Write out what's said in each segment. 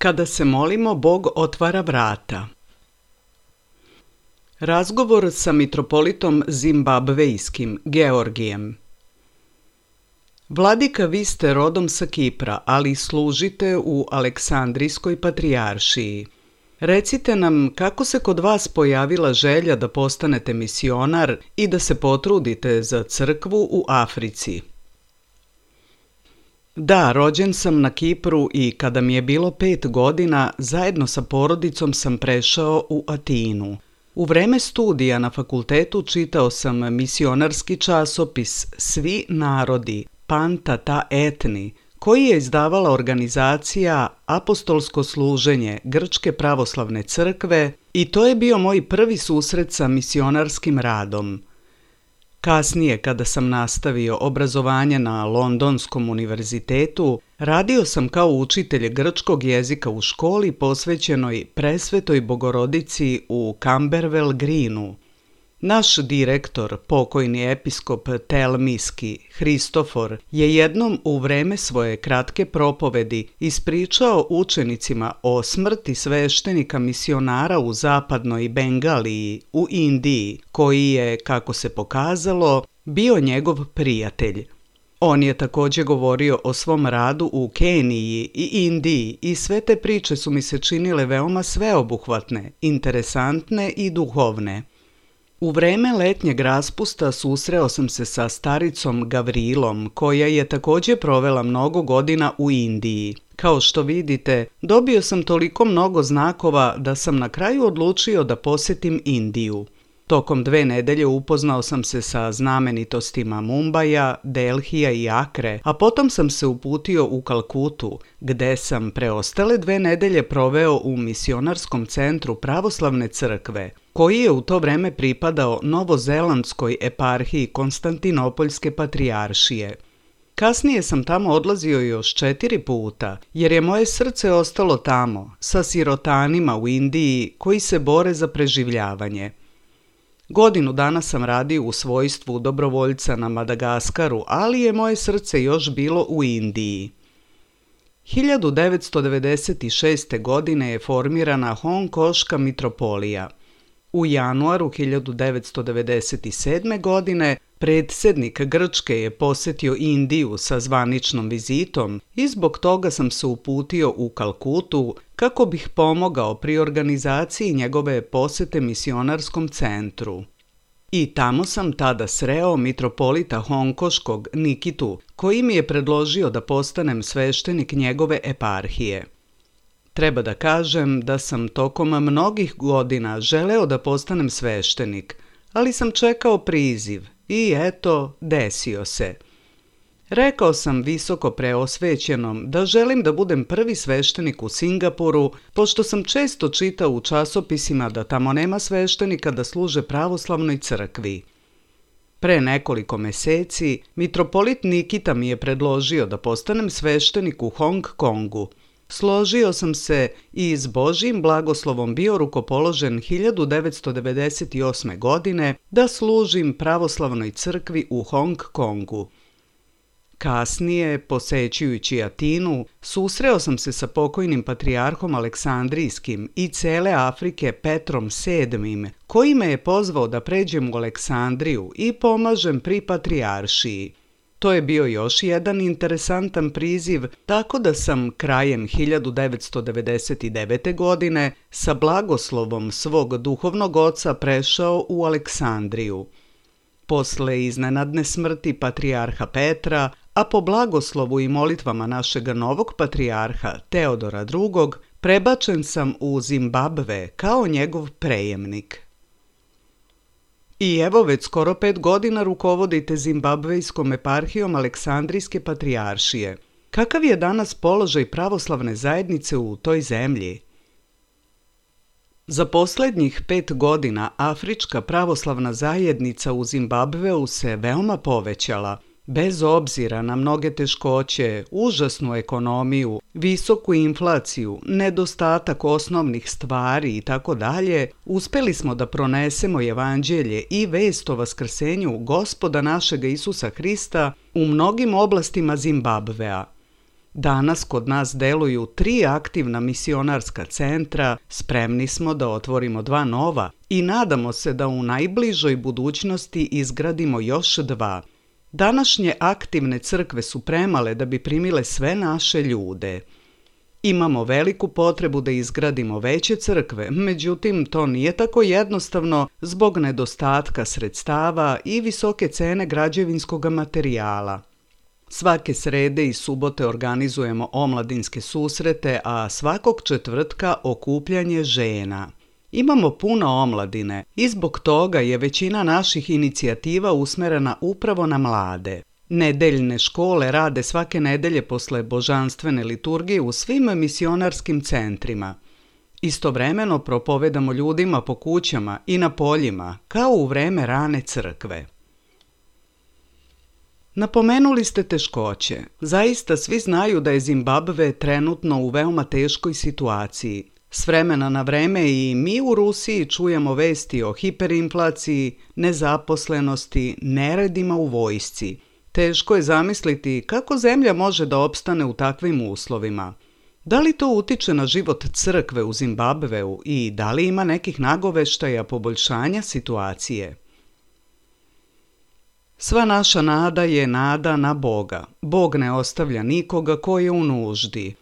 Kada se molimo, Bog otvara vrata. Razgovor sa mitropolitom zimbabvejskim Georgijem. Vladika, vi ste rodom sa Kipra, ali služite u Aleksandrijskoj patrijaršiji. Recite nam kako se kod vas pojavila želja da postanete misionar i da se potrudite za crkvu u Africi. Da, rođen sam na Kipru i kada mi je bilo 5 godina, zajedno sa porodicom sam prešao u Atinu. U vreme studija na fakultetu čitao sam misionarski časopis Svi narodi, Panta ta etni, koji je izdavala organizacija Apostolsko služenje Grčke pravoslavne crkve i to je bio moj prvi susret sa misionarskim radom. Kasnije, kada sam nastavio obrazovanje na Londonskom univerzitetu, radio sam kao učitelj grčkog jezika u školi posvećenoj Presvetoj Bogorodici u Camberwell Greenu. Naš direktor, pokojni episkop Telmiski, Hristofor, je jednom u vreme svoje kratke propovedi ispričao učenicima o smrti sveštenika misionara u zapadnoj Bengaliji, u Indiji, koji je, kako se pokazalo, bio njegov prijatelj. On je također govorio o svom radu u Keniji i Indiji i sve te priče su mi se činile veoma sveobuhvatne, interesantne i duhovne. U vreme letnjeg raspusta susreo sam se sa staricom Gavrilom, koja je također provela mnogo godina u Indiji. Kao što vidite, dobio sam toliko mnogo znakova da sam na kraju odlučio da posjetim Indiju. Tokom 2 nedelje upoznao sam se sa znamenitostima Mumbaja, Delhija i Akre, a potom sam se uputio u Kalkutu, gde sam preostale 2 nedelje proveo u misionarskom centru pravoslavne crkve, koji je u to vreme pripadao Novozelandskoj eparhiji Konstantinopoljske patrijaršije. Kasnije sam tamo odlazio još 4 puta, jer je moje srce ostalo tamo, sa sirotanima u Indiji koji se bore za preživljavanje. Godinu dana sam radio u svojstvu dobrovoljca na Madagaskaru, ali je moje srce još bilo u Indiji. 1996. godine je formirana Hongkoška mitropolija. U januaru 1997. godine predsjednik Grčke je posjetio Indiju sa zvaničnom vizitom i zbog toga sam se uputio u Kalkutu kako bih pomogao pri organizaciji njegove posjete misionarskom centru. I tamo sam tada sreo mitropolita Hongkoškog Nikitu, koji mi je predložio da postanem sveštenik njegove eparhije. Treba da kažem da sam tokom mnogih godina želeo da postanem sveštenik, ali sam čekao priziv i eto, desio se. Rekao sam visoko preosvećenom da želim da budem prvi sveštenik u Singapuru, pošto sam često čitao u časopisima da tamo nema sveštenika da služe pravoslavnoj crkvi. Pre nekoliko meseci, mitropolit Nikita mi je predložio da postanem sveštenik u Hong Kongu. Složio sam se i s Božjim blagoslovom bio rukopoložen 1998. godine da služim pravoslavnoj crkvi u Hong Kongu. Kasnije, posećujući Atinu, susreo sam se sa pokojnim patrijarhom Aleksandrijskim i cele Afrike Petrom VII, koji me je pozvao da pređem u Aleksandriju i pomažem pri patrijaršiji. To je bio još jedan interesantan priziv, tako da sam krajem 1999. godine sa blagoslovom svog duhovnog oca prešao u Aleksandriju. Posle iznenadne smrti patrijarha Petra, a po blagoslovu i molitvama našeg novog patrijarha Teodora II, prebačen sam u Zimbabve kao njegov prejemnik. I evo već skoro 5 godina rukovodite Zimbabvejskom eparhijom Aleksandrijske patrijaršije. Kakav je danas položaj pravoslavne zajednice u toj zemlji? Za posljednjih 5 godina Afrička pravoslavna zajednica u Zimbabveu se veoma povećala. Bez obzira na mnoge teškoće, užasnu ekonomiju, visoku inflaciju, nedostatak osnovnih stvari itd., uspeli smo da pronesemo evanđelje i vest o vaskrsenju Gospoda našega Isusa Hrista u mnogim oblastima Zimbabvea. Danas kod nas deluju 3 aktivna misionarska centra, spremni smo da otvorimo 2 nova i nadamo se da u najbližoj budućnosti izgradimo još 2. Današnje aktivne crkve su premale da bi primile sve naše ljude. Imamo veliku potrebu da izgradimo veće crkve, međutim to nije tako jednostavno zbog nedostatka sredstava i visoke cene građevinskog materijala. Svake srede i subote organizujemo omladinske susrete, a svakog četvrtka okupljanje žena. Imamo puno omladine i zbog toga je većina naših inicijativa usmerena upravo na mlade. Nedeljne škole rade svake nedelje posle božanstvene liturgije u svim misionarskim centrima. Istovremeno propovedamo ljudima po kućama i na poljima, kao u vreme rane crkve. Napomenuli ste teškoće. Zaista svi znaju da je Zimbabve trenutno u veoma teškoj situaciji. S vremena na vreme i mi u Rusiji čujemo vesti o hiperinflaciji, nezaposlenosti, neredima u vojsci. Teško je zamisliti kako zemlja može da opstane u takvim uslovima. Da li to utiče na život crkve u Zimbabveu i da li ima nekih nagoveštaja poboljšanja situacije? Sva naša nada je nada na Boga. Bog ne ostavlja nikoga ko je u nuždi.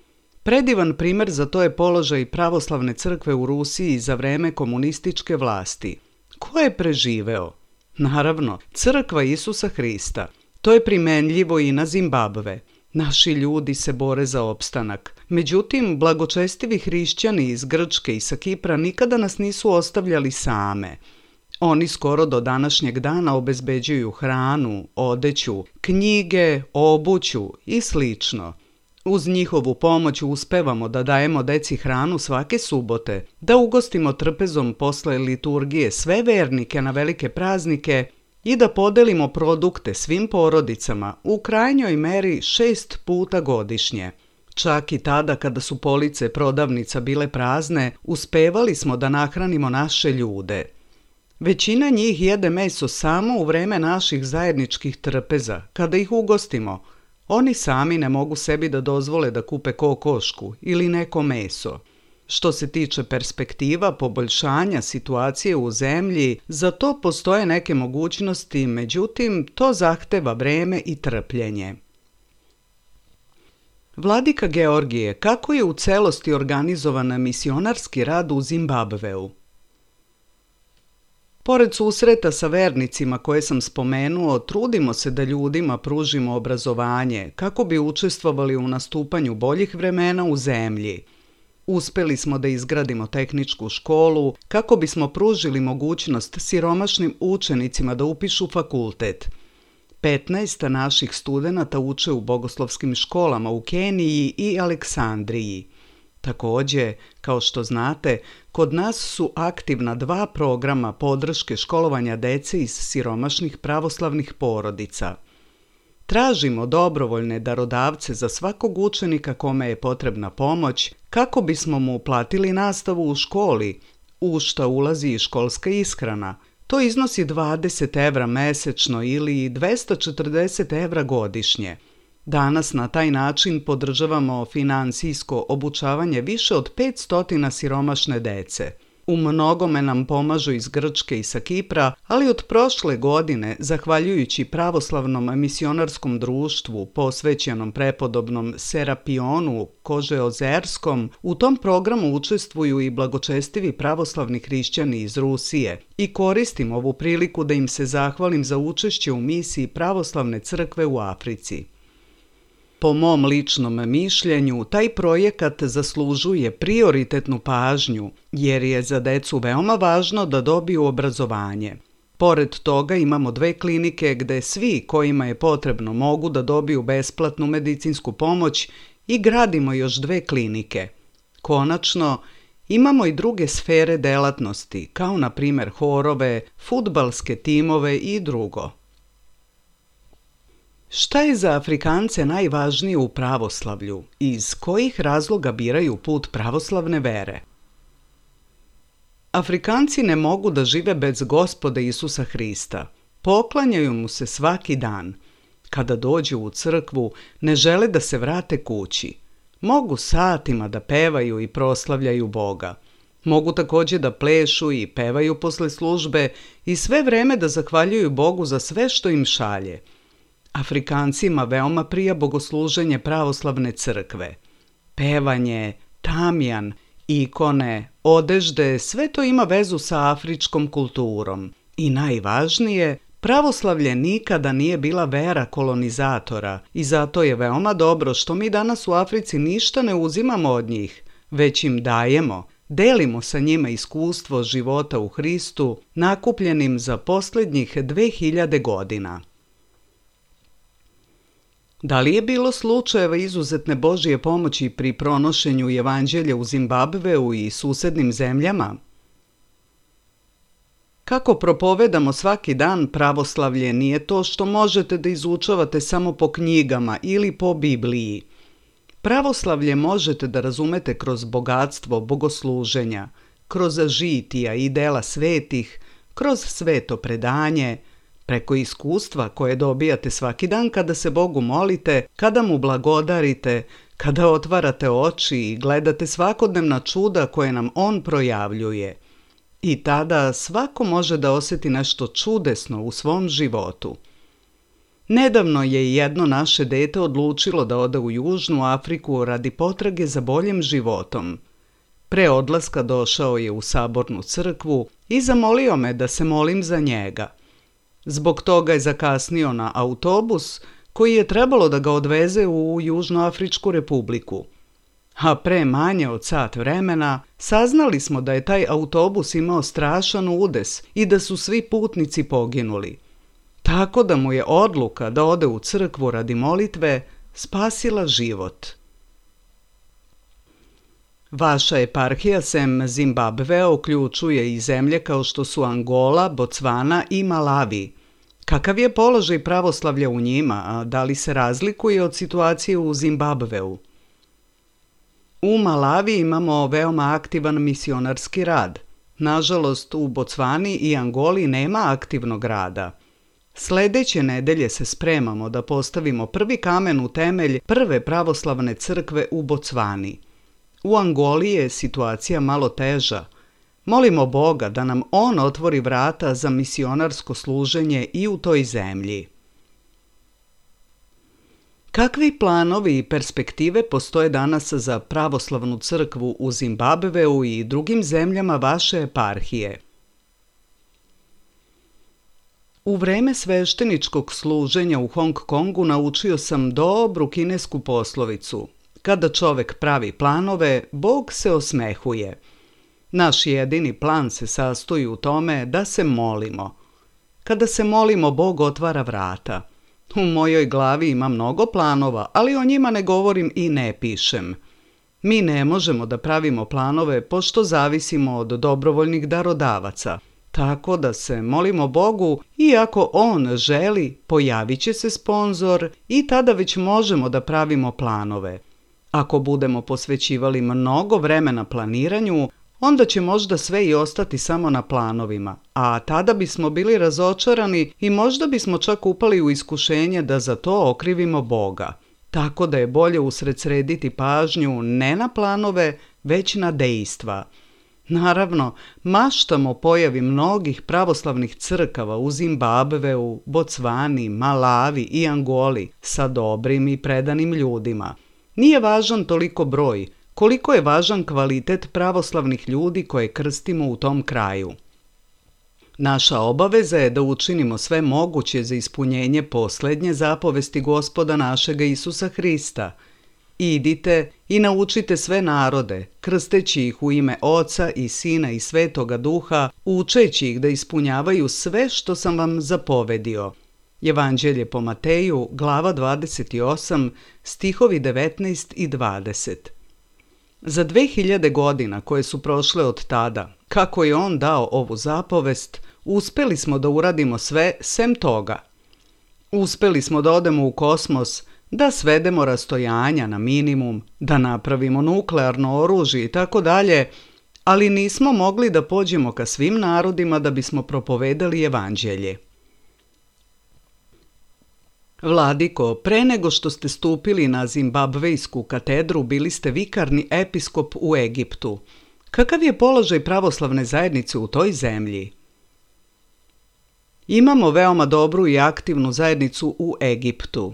Predivan primjer za to je položaj pravoslavne crkve u Rusiji za vreme komunističke vlasti. Ko je preživeo? Naravno, crkva Isusa Hrista. To je primenljivo i na Zimbabve. Naši ljudi se bore za opstanak. Međutim, blagočestivi hrišćani iz Grčke i sa Kipra nikada nas nisu ostavljali same. Oni skoro do današnjeg dana obezbeđuju hranu, odeću, knjige, obuću i slično. Uz njihovu pomoć uspevamo da dajemo deci hranu svake subote, da ugostimo trpezom posle liturgije sve vernike na velike praznike i da podelimo produkte svim porodicama u krajnjoj meri 6 puta godišnje. Čak i tada kada su police prodavnica bile prazne, uspevali smo da nahranimo naše ljude. Većina njih jede meso samo u vreme naših zajedničkih trpeza, kada ih ugostimo. Oni sami ne mogu sebi da dozvole da kupe kokošku ili neko meso. Što se tiče perspektiva poboljšanja situacije u zemlji, za to postoje neke mogućnosti, međutim, to zahteva vreme i trpljenje. Vladika Georgije, kako je u celosti organizovan misionarski rad u Zimbabveu? Pored susreta sa vernicima koje sam spomenuo, trudimo se da ljudima pružimo obrazovanje kako bi učestvovali u nastupanju boljih vremena u zemlji. Uspeli smo da izgradimo tehničku školu kako bismo pružili mogućnost siromašnim učenicima da upišu fakultet. 15 naših studenata uče u bogoslovskim školama u Keniji i Aleksandriji. Također, kao što znate, kod nas su aktivna 2 programa podrške školovanja dece iz siromašnih pravoslavnih porodica. Tražimo dobrovoljne darodavce za svakog učenika kome je potrebna pomoć kako bismo mu platili nastavu u školi, u šta ulazi i školska ishrana. To iznosi 20 evra mesečno ili 240 evra godišnje. Danas na taj način podržavamo finansijsko obučavanje više od 500 siromašne dece. U mnogome nam pomažu iz Grčke i sa Kipra, ali od prošle godine, zahvaljujući pravoslavnom misionarskom društvu posvećenom prepodobnom Serapionu Kožeozerskom, u tom programu učestvuju i blagočestivi pravoslavni hrišćani iz Rusije i koristim ovu priliku da im se zahvalim za učešće u misiji pravoslavne crkve u Africi. Po mom ličnom mišljenju, taj projekat zaslužuje prioritetnu pažnju, jer je za decu veoma važno da dobiju obrazovanje. Pored toga imamo 2 klinike gde svi kojima je potrebno mogu da dobiju besplatnu medicinsku pomoć i gradimo još 2 klinike. Konačno, imamo i druge sfere delatnosti, kao na primjer horove, fudbalske timove i drugo. Šta je za Afrikance najvažnije u pravoslavlju i iz kojih razloga biraju put pravoslavne vere? Afrikanci ne mogu da žive bez Gospoda Isusa Hrista. Poklanjaju mu se svaki dan. Kada dođu u crkvu, ne žele da se vrate kući. Mogu satima da pevaju i proslavljaju Boga. Mogu također da plešu i pevaju posle službe i sve vreme da zahvaljuju Bogu za sve što im šalje. Afrikancima veoma prija bogosluženje pravoslavne crkve. Pevanje, tamjan, ikone, odežde, sve to ima vezu sa afričkom kulturom. I najvažnije, pravoslavlje nikada nije bila vera kolonizatora i zato je veoma dobro što mi danas u Africi ništa ne uzimamo od njih, već im dajemo, delimo sa njima iskustvo života u Hristu nakupljenim za posljednjih 2000 godina. Da li je bilo slučajeva izuzetne Božje pomoći pri pronošenju evanđelja u Zimbabveu i susednim zemljama? Kako propovedamo svaki dan, pravoslavlje nije to što možete da izučavate samo po knjigama ili po Bibliji. Pravoslavlje možete da razumete kroz bogatstvo bogosluženja, kroz žitija i dela svetih, kroz sveto predanje, preko iskustva koje dobijate svaki dan kada se Bogu molite, kada mu blagodarite, kada otvarate oči i gledate svakodnevna čuda koje nam on projavljuje. I tada svako može da osjeti nešto čudesno u svom životu. Nedavno je jedno naše dete odlučilo da ode u Južnu Afriku radi potrage za boljim životom. Pre odlaska došao je u sabornu crkvu i zamolio me da se molim za njega. Zbog toga je zakasnio na autobus koji je trebalo da ga odveze u Južnoafričku republiku. A pre manje od sat vremena saznali smo da je taj autobus imao strašan udes i da su svi putnici poginuli. Tako da mu je odluka da ode u crkvu radi molitve spasila život. Vaša eparhija sem Zimbabvea uključuje i zemlje kao što su Angola, Bocvana i Malavi. Kakav je položaj pravoslavlja u njima, a da li se razlikuje od situacije u Zimbabveu? U Malavi imamo veoma aktivan misionarski rad. Nažalost, u Bocvani i Angoli nema aktivnog rada. Sledeće nedelje se spremamo da postavimo prvi kamen u temelj prve pravoslavne crkve u Bocvani. U Angoli je situacija malo teža. Molimo Boga da nam on otvori vrata za misionarsko služenje i u toj zemlji. Kakvi planovi i perspektive postoje danas za pravoslavnu crkvu u Zimbabveu i drugim zemljama vaše eparhije? U vreme svešteničkog služenja u Hong Kongu naučio sam dobru kinesku poslovicu. Kada čovek pravi planove, Bog se osmehuje. Naš jedini plan se sastoji u tome da se molimo. Kada se molimo, Bog otvara vrata. U mojoj glavi ima mnogo planova, ali o njima ne govorim i ne pišem. Mi ne možemo da pravimo planove pošto zavisimo od dobrovoljnih darodavaca. Tako da se molimo Bogu i ako on želi, pojavit će se sponzor i tada već možemo da pravimo planove. Ako budemo posvećivali mnogo vremena planiranju, onda će možda sve i ostati samo na planovima, a tada bismo bili razočarani i možda bismo čak upali u iskušenje da za to okrivimo Boga. Tako da je bolje usredsrediti pažnju ne na planove, već na dejstva. Naravno, maštamo o pojavi mnogih pravoslavnih crkava u Zimbabveu, Bocvani, Malavi i Angoli sa dobrim i predanim ljudima. Nije važan toliko broj, koliko je važan kvalitet pravoslavnih ljudi koje krstimo u tom kraju. Naša obaveza je da učinimo sve moguće za ispunjenje posljednje zapovesti Gospoda našega Isusa Hrista. Idite i naučite sve narode, krsteći ih u ime Oca i Sina i Svetoga Duha, učeći ih da ispunjavaju sve što sam vam zapovedio. Evanđelje po Mateju, glava 28, stihovi 19 i 20. Za 2000 godina koje su prošle od tada, kako je on dao ovu zapovest, uspeli smo da uradimo sve sem toga. Uspeli smo da odemo u kosmos, da svedemo rastojanja na minimum, da napravimo nuklearno oružje i tako dalje, ali nismo mogli da pođemo ka svim narodima da bismo propovedali evanđelje. Vladiko, pre nego što ste stupili na zimbabvejsku katedru, bili ste vikarni episkop u Egiptu. Kakav je položaj pravoslavne zajednice u toj zemlji? Imamo veoma dobru i aktivnu zajednicu u Egiptu.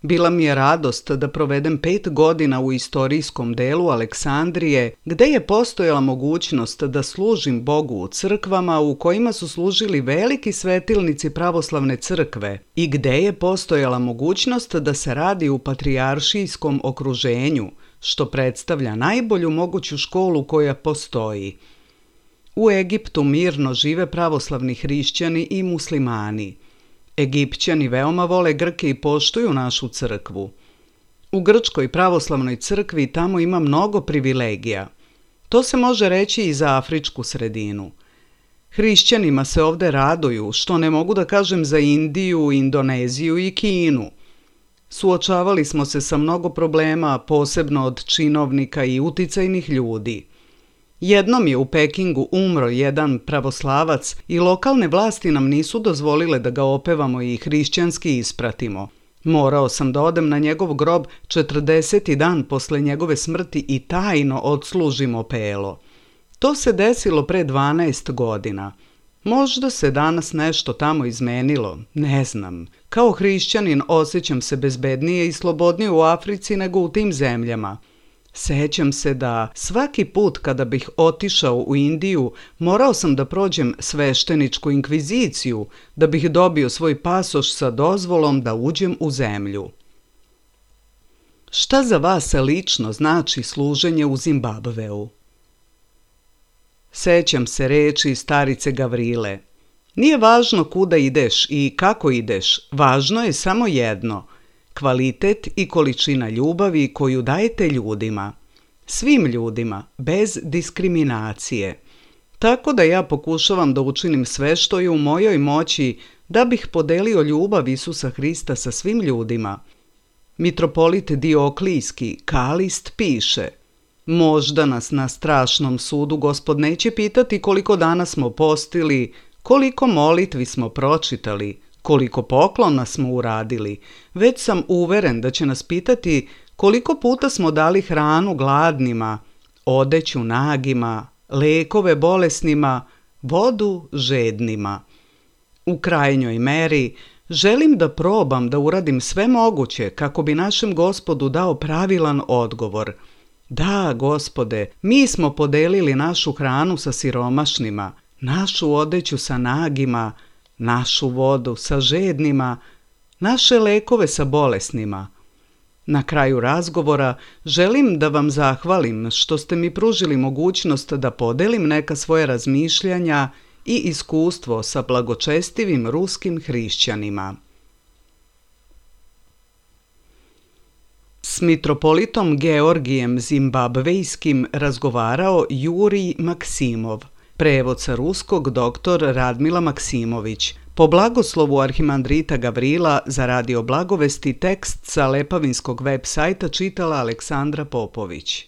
Bila mi je radost da provedem 5 godina u istorijskom delu Aleksandrije, gde je postojala mogućnost da služim Bogu u crkvama u kojima su služili veliki svetilnici pravoslavne crkve i gde je postojala mogućnost da se radi u patrijaršijskom okruženju, što predstavlja najbolju moguću školu koja postoji. U Egiptu mirno žive pravoslavni hrišćani i muslimani. Egipćani veoma vole Grke i poštuju našu crkvu. U Grčkoj pravoslavnoj crkvi tamo ima mnogo privilegija. To se može reći i za afričku sredinu. Hrišćanima se ovde raduju, što ne mogu da kažem za Indiju, Indoneziju i Kinu. Suočavali smo se sa mnogo problema, posebno od činovnika i uticajnih ljudi. Jednom je u Pekingu umro jedan pravoslavac i lokalne vlasti nam nisu dozvolile da ga opevamo i hrišćanski ispratimo. Morao sam da odem na njegov grob 40. dan posle njegove smrti i tajno odslužim opelo. To se desilo pre 12 godina. Možda se danas nešto tamo izmenilo, ne znam. Kao hrišćanin osjećam se bezbednije i slobodnije u Africi nego u tim zemljama. Sećam se da svaki put kada bih otišao u Indiju, morao sam da prođem svešteničku inkviziciju, da bih dobio svoj pasoš sa dozvolom da uđem u zemlju. Šta za vas lično znači služenje u Zimbabveu? Sećam se reči starice Gavrile. Nije važno kuda ideš i kako ideš, važno je samo jedno – kvalitet i količina ljubavi koju dajete ljudima. Svim ljudima, bez diskriminacije. Tako da ja pokušavam da učinim sve što je u mojoj moći da bih podelio ljubav Isusa Hrista sa svim ljudima. Mitropolit Dioklijski, Kalist, piše: možda nas na strašnom sudu Gospod neće pitati koliko dana smo postili, koliko molitvi smo pročitali, koliko poklona smo uradili, već sam uveren da će nas pitati koliko puta smo dali hranu gladnima, odeću nagima, lekove bolesnima, vodu žednima. U krajnjoj meri želim da probam da uradim sve moguće kako bi našem Gospodu dao pravilan odgovor. Da, Gospode, mi smo podelili našu hranu sa siromašnima, našu odeću sa nagima, našu vodu sa žednima, naše lekove sa bolesnima. Na kraju razgovora želim da vam zahvalim što ste mi pružili mogućnost da podelim neka svoja razmišljanja i iskustvo sa blagočestivim ruskim hrišćanima. S mitropolitom Georgijem Zimbabvejskim razgovarao Jurij Maksimov. Prevod sa ruskog dr. Radmila Maksimović. Po blagoslovu arhimandrita Gavrila za Radio Blagovesti tekst sa Lepavinskog web sajta čitala Aleksandra Popović.